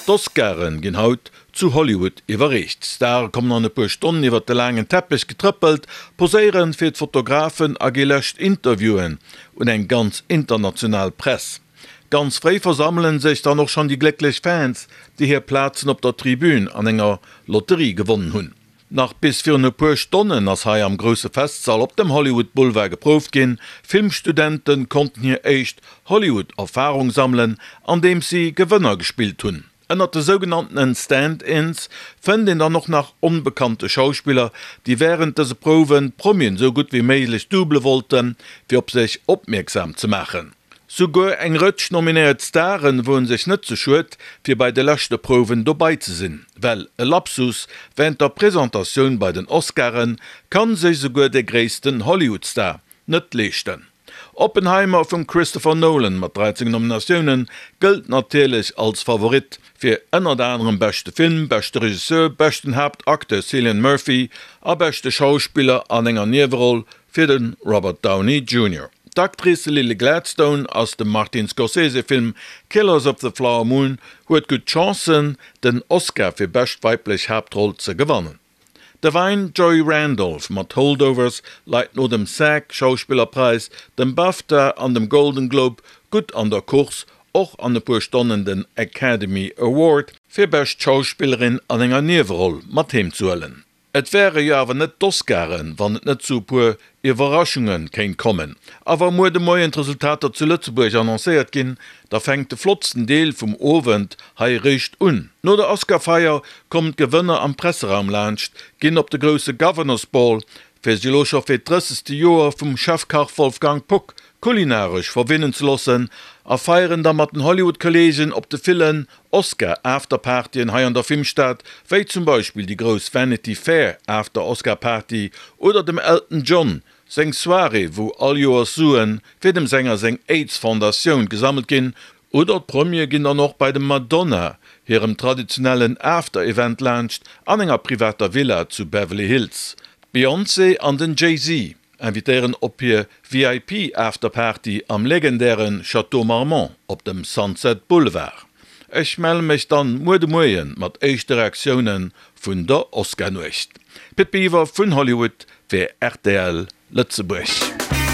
D'Oscaren ginn haut zu Hollywood iwwerreecht. D'Stare kommen an e puer Stonnen iwwert de laangen Teppech getrëppelt, poséieren fir d'Fotografen a gi lescht Interviewen un eng ganz international Press. Ganz fréi versammelen sech dann och schonn déi glécklech Fans, déi hir Plazen op der Tribün an enger Lotterie gewonnen hunn. Nach bis virun e puer Stonnen ass hei am grousse Festsall op dem Hollywood Boulevard geprouft ginn. Filmstudente konnten hir éischt Hollywood-Erfarung sammelen, andeems si Gewënner gespillt hunn. Ënnert de sougenanntenen Stand-ins fënnt een dann och nach onbekannte Schauspiller, déi wärend dëse Prouwen d'Promien sou gutt wéi méiglech doubele wollten, fir op sech opmierksam ze maachen. Souguer eng Rëtsch nominéiert Staren woen sech net ze schued, fir bei de leschte Prouwen dobai ze sinn. Well e Lapsus wärend der Presentatioun bei den Oscaren kann sech souguer de gréissten Hollywood-Star net leeschten. Oppenheimer vum Christopher Nolan mat 13 Nominatioune gëllt natierlech als Favorit fir ënnert anerem beschte Film, beschte Regisseur, beschten Haaptacteur Cillian Murphy a beschte Schauspiller an enger Nieweroll fir de Robert Downey Junior. D'Actrice Lily Gladstone aus dem Martin Scorsese-Film Killers of the Flower Moon huet gutt Chancen, den Oscar fir bescht weiblech Haaptroll ze gewannen. D'Da'Vine Joy Randolph mat Holdovers leit no dem SAG-Schauspillerpräis, dem BAFTA an dem Golden Globe gutt an der Course, och an e puer Stonnen den Academy Award fir bescht Schauspillerin an enger Nieweroll mat heem ze huelen. Et wäre jo awer net d'Oscaren, wann et net zu e puer Iwwerraschunge kéint kommen. A wa muer de Moien d'Resultater zu Lëtzebuerg annoncéiert ginn, da fänkt de flottsten Deel vum Owend hei eréischt un. No der Oscarfeier kommen d'Gewënner am Presseraum laanscht, ginn op de grousse Governors Ball, fir sech elo scho fir d'drëssegste Joer vum Chefkach Wolfgang Puck kulinaresch verwinnen ze loossen a feieren da mat den Hollywood-Kolleegen op de villen Oscar-Afterpartyen hei an der Filmstad, wéi zum Beispill déi grouss Vanity Fair After-Oscar-Party oder dem Elton John seng Soirée, wou all Joers Sue fir dem Sänger seng Aids-Fondatioun gesammelt ginn, oder d'Premiere ginn dann och bei dem Madonna hirem traditionellen After-Event laanscht an enger privater Villa zu Beverly Hills. D'Beyoncé an den Jay-Z invitéieren op hir VIP Afterparty am legendäre Château Marmont op dem Sunset Boulevard. Ech melle mech dann muer de Moien mat éischte Reaktioune vun der Oscar-Nuecht. Pit Biwer vun Hollywood fir rtl Lëtzebuerg.